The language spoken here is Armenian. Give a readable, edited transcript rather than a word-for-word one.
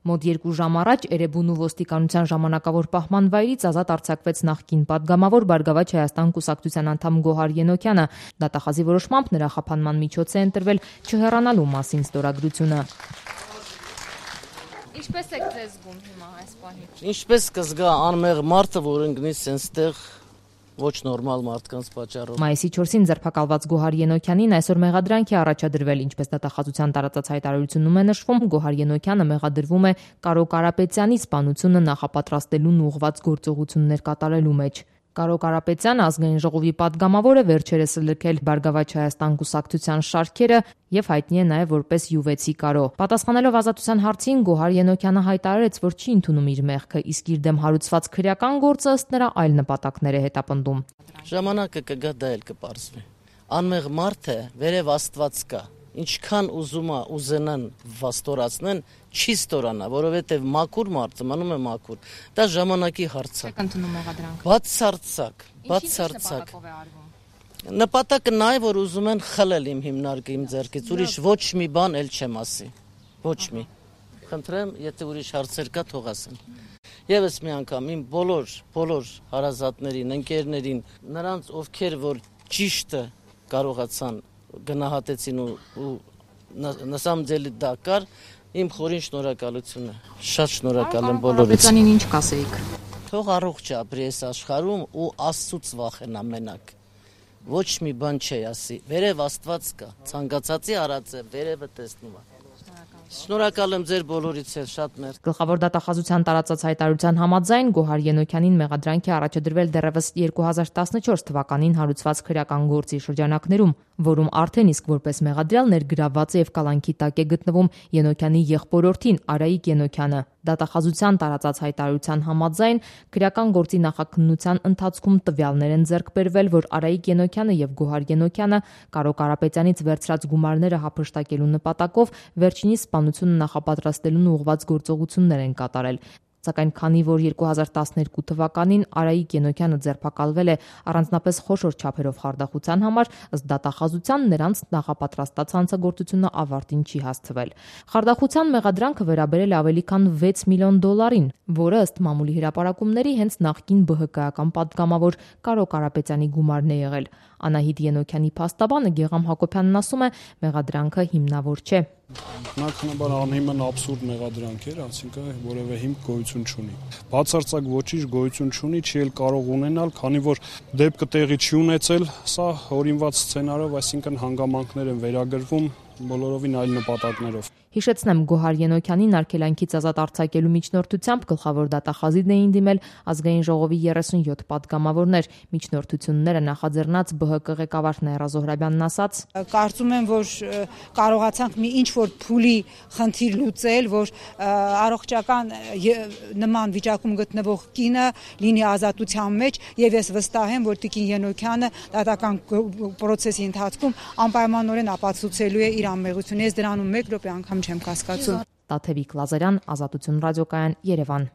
Մոտ 2 ժամ առաջ Էրեբունու ոստիկանության ժամանակավոր պահման վայրից ազատ արձակվեց նախկին պատգամավոր Բարգավաճ Հայաստան կուսակցության անդամ Գոհար Ենոքյանը։ Դատախազի որոշմամբ նրա խափանման միջոց է ընտրվել չհեռանալու մասին ստորագրությունը։ Ինչպես եք ձեզ զգում հիմա այս պահին։ Ինչպես կզգա անմեղ մարդը, որ ընկնի սենստեղ ոչ նորմալ մարդկանց պատճառով։ Մայիսի 4-ին ձերբակալված Գոհար Ենոքյանին այսօր մեղադրանք է առաջադրվել, ինչպես դատախազության տարածած հայտարարությունում է նշվում, Գոհար Ենոքյանը մեղադրվում է Կարո Կարապետյանի սպանությունը նախապատրաստելուն ուղղված գործողություններ կատարելու մեջ։ Կարո Կարապետյանը ազգային ժողովի պատգամավոր է, վերջերս լքել Բարգավաճ Հայաստան կուսակցության շարքերը եւ հայտնի է նաեւ որպես յուվեցի Կարո։ Պատասխանելով ազատության հարցին Գոհար Ենոքյանը հայտարարեց, որ չի ընդունում իր մեղքը, իսկ իր դեմ հարուցված քրեական գործը ըստ նրա այլ նպատակներ է հետապնդում։ Ժամանակը կգա, դա էլ կպարզվի։ Անմեղ մարդը վերև Աստված կա։ Ինչքան ուզենան վաստորացնեն, չի ստորանա, որովհետև մաքուր մարդը մնում է մաքուր։ Դա ժամանակի հարց է։ Եք ընդունում մեղադրանքը։ Բացարձակ։ Նպատակը նա է, որ ուզում են խլել իմ հիմնարկը իմ ձեռքից, ուրիշ ոչ մի բան էլ չեմ ասի։ Ոչ մի։ Խնդրեմ, եթե ուրիշ հարցեր կա, թող ասեն։ Եվս մի անգամ իմ բոլոր հարազատներին, ընկերներին, նրանց ովքեր որ ճիշտը կարողացան գնահատեցին ու նասամձելի դա կար, իմ խորին շնորհակալությունը։ Շատ շնորհակալ եմ բոլորից։ Կարապետյանին ինչ կասեիք։ Թող առողջ ապրի այս աշխարհում ու Աստծուց վախենա մենակ։ Ոչ մի բան չի ասի։ Վերև Աստված կա։ Ցանկացածի արած է, վերևը տեսնում է։ Շնորհակալ եմ ձեր բոլորից էլ շատ մերկ։ Գլխավոր դատախազության տարածած հայտարարության համաձայն Գոհար Ենոքյանին մեղադրանք է առաջադրվել դեռևս 2014 թվականին հարուցված քրեական գործի շրջանակներում, որում արդեն իսկ որպես մեղադրյալ ներգրավված է եւ կալանքի տակ է գտնվում Ենոքյանի եղբորորդին Արայիկ Ենոքյանը։ Դատախազության տարածած հայտարարության համաձայն քրեական գործի նախաքննության ընթացքում տվյալներ են ձեռք բերվել, որ Արայիկ Ենոքյանը եւ Գոհար Ենոքյանը Կարո Կարապետյանից վերցրած գումարները հափշտակելու նպատակով վերջինիս սպանությունը նախապատրաստելուն ուղղված գործողություններ են կատարել։ Սակայն քանի որ 2012 թվականին Արայիկ Ենոքյանը ձերբակալվել է առանձնապես խոշոր չափերով խարդախության համար, ըստ դատախազության նրանց նախապատրաստած հանցագործությունը ավարտին չի հասցվել։ Խարդախության մեղադրանքը վերաբերել է ավելի քան 6 միլիոն դոլարին, որը ըստ մամուլի հրապարակումների հենց նախկին ԲՀԿ-ական պատգամավոր Կարո Կարապետյանի գումարն է եղել։ Անահիտ Ենոքյանի փաստաբանը Գեգամ Հակոբյանն ասում է, մեղադրանքը հիմնավոր չէ։ Բնականաբար անհիմն աբսուրդ մեղադրանք էր, այսինքն որևէ հիմք գոյություն չունի։ Բացարձակ ոչինչ գոյություն չունի, չի էլ կարող ունենալ, քանի որ դեպքը տեղի չի ունեցել, սա հորինված սցենարով, այսինքն հանգամանքներ են վերագրվում բոլորովին այլ նպատակներով։ Հիշեցնեմ, Գոհար Ենոքյանին արգելանքից ազատ արձակելու միջնորդությամբ գլխավոր դատախազին էին դիմել ազգային ժողովի 37 պատգամավորներ։ Միջնորդությունները նախաձեռնած ԲՀԿ ղեկավար Նաիրա Զոհրաբյանն ասաց. Կարծում եմ, որ կարողացանք մի ինչ-որ փուլի խնդիր լուծել, որ առողջական նման վիճակում գտնվող կինը լինի ազատության մեջ, եւ ես վստահ եմ, որ Տիկին Ենոքյանը դատական պրոցեսի ընթացքում անպայմանորեն ապացուցելու է իր անմեղությունը։ Ես դրանում 1 րոպե անգամ չեմ կասկածում։ Տաթևիկ Լազարյան, Ազատություն ռադիոկայան, Երևան։